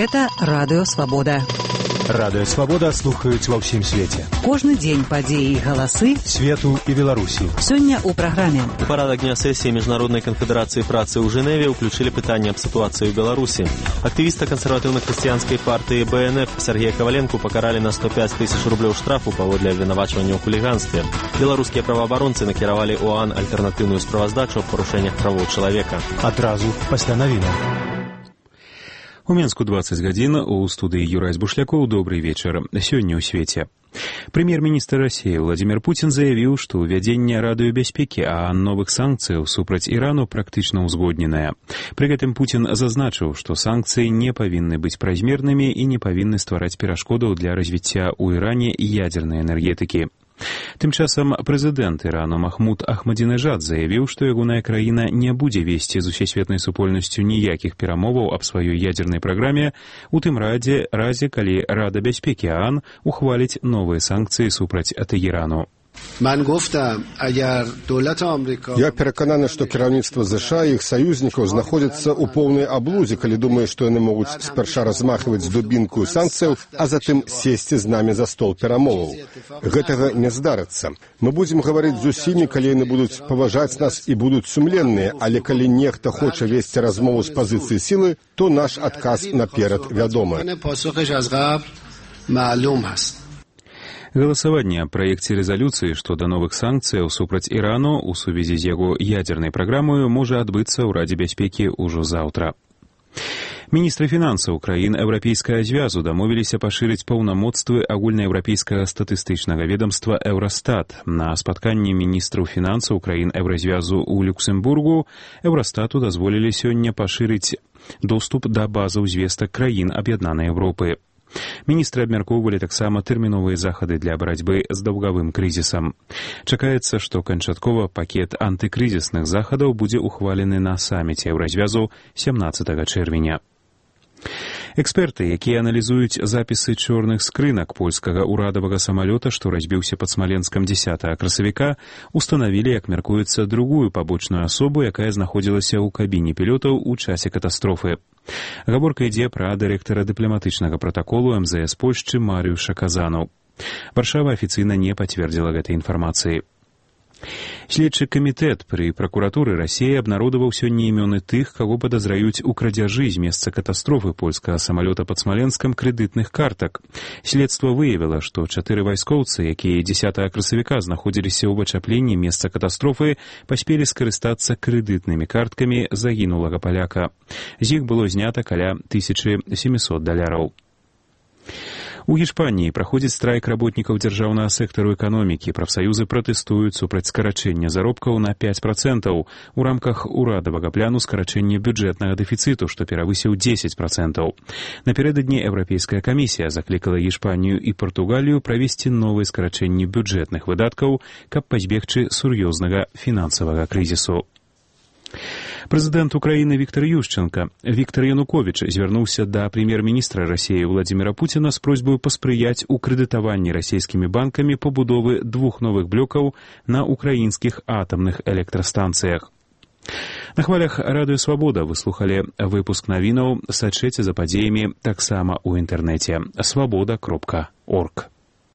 Гэта Радыё Свабода. Радыё Свабода слухаюць ва ўсім свеце. Кожны дзень падзеі і галасы свету і Беларусі. Сёння ў праграме. У парадак дня сесіі Міжнароднай канфедэрацыі працы ў Жэневе ўключылі пытанне аб сітуацыі ў Беларусі. Актывіста кансерватыўна-хрысціянскай партыі БНФ Сергея Каваленку пакаралі на 105 000 рублёў штрафу паводле абвінавачвання ў хуліганстве. Беларускія праваабаронцы накіравалі ў ОАН альтэрнатыўную справаздачу аб парушэннях правоў чалавека. Адразу пасля навінаў. У Менску 20 гадзін, у студыі Юрай Збушлякоў. Добрый вечар. Сёння ў свеце. Прэм'ер-міністр Расіі Владзімір Пуцін заявіў, што ўвядзенне радыёбяспекі а новых санкцыяў супраць Ірану практычна ўзгодненае. Пры гэтым Пуцін зазначыў, што санкцыі не павінны быць празмернымі і не павінны ствараць перашкодаў для развіцця ў Іране ядзернай энергетыкі. Тым часам прэзідэнт Ірану Махмуд Ахмадзінежад заявіў, што ягоная краіна не будзе весці з усесветнай супольнасцю ніякіх перамоваў аб сваёй ядзернай праграме, у тым разе, калі Рада бяспекі ОАН ухваліць новыя санкцыі супраць Тэгэрану. Я перакананы, што кіраўніцтва ЗША і іх саюзнікаў знаходзяцца ў поўнай аблудзе, калі думае, што яны могуць спярша размахваць дубінку санкцыяў, а затым сесці з намі за стол перамоваў. Гэтага не здарыцца. Мы будзем гаварыць з усімі, калі яны будуць паважаць нас і будуць сумленныя, але калі нехта хоча весці размову з пазіцыі сілы, то наш адказ наперад вядомы. Галасаванне аб праекце рэзалюцыі што да новых санкцыяў супраць Ірану ў сувязі з яго ядзернай праграмаю можа адбыцца ў Радзе бяспекі ўжо заўтра. Міністры фінансаў краін Еўрапейскага звязу дамовіліся пашырыць паўнамоцтвы агульнаеўрапейскага статыстычнага ведамства Еўрастат. На спатканні міністраў фінансаў краін Еўразвязу ў Люксембургу Еўрастату дазволілі сёння пашырыць доступ да базаў звестак краін Аб'яднанай Еўропы. Міністры абмяркоўвалі таксама тэрміновыя захады для барацьбы з даўгавым крызісам. Чакаецца, што канчаткова пакет антыкрызісных захадаў будзе ухвалены на саміце Еўразвязу 17 чэрвеня. Эксперты, якія аналізуюць запісы чорных скрынак польскага ўрадавага самалёта, што разбіўся пад Смаленскам 10 красавіка, устанавілі, як мяркуецца, другую пабочную асобу, якая знаходзілася ў кабіне пілётаў у часе катастрофы. Гаворка ідзе пра дырэктара дыпламатычнага пратаколу МЗС Польшчы Марыюша Казану. Варшава афіцыйна не пацвердзіла гэтай інфармацыі. Следчы камітэт пры пракуратуры Расіі абнародаваў сёння імёны тых, каго падазраюць у крадзяжы з месца катастрофы польскага самалёта пад Смаленскам крэдытных картак. Следства выявіла, што 4 вайскоўцы, якія 10 красавіка знаходзіліся ў вачапленні месца катастрофы, паспелі скарыстацца крэдытнымі карткамі загінулага паляка. З іх было знята каля $1700. У Гішпаніі праходзіць страйк работнікаў дзяржаўнага сектару эканомікі. Прафсаюзы пратэстуюць супраць скарачэння заробкаў на 5% у рамках урадавага пляну скарачэння бюджэтнага дэфіцыту, што перавысіў 10%. Напярэдадні Еўрапейская камісія заклікала Гішпанію і Партугалію правесці новыя скарачэнні бюджэтных выдаткаў, каб пазбегчы сур'ёзнага фінансавага крызісу. Прэзідэнт Украіны Віктор Януковіч звярнуўся да прэм'ер-міністра Расіі Владзіміра Пуціна з просьбаю паспрыяць у крэдытаванні расійскімі банкамі пабудовы 2 новых блокаў на украінскіх атамных электрастанцыях. На хвалях Радыё Свабода вы слухалі выпуск навінаў. Сачыце за падзеямі таксама ў інтэрнэце. Свабода.орг.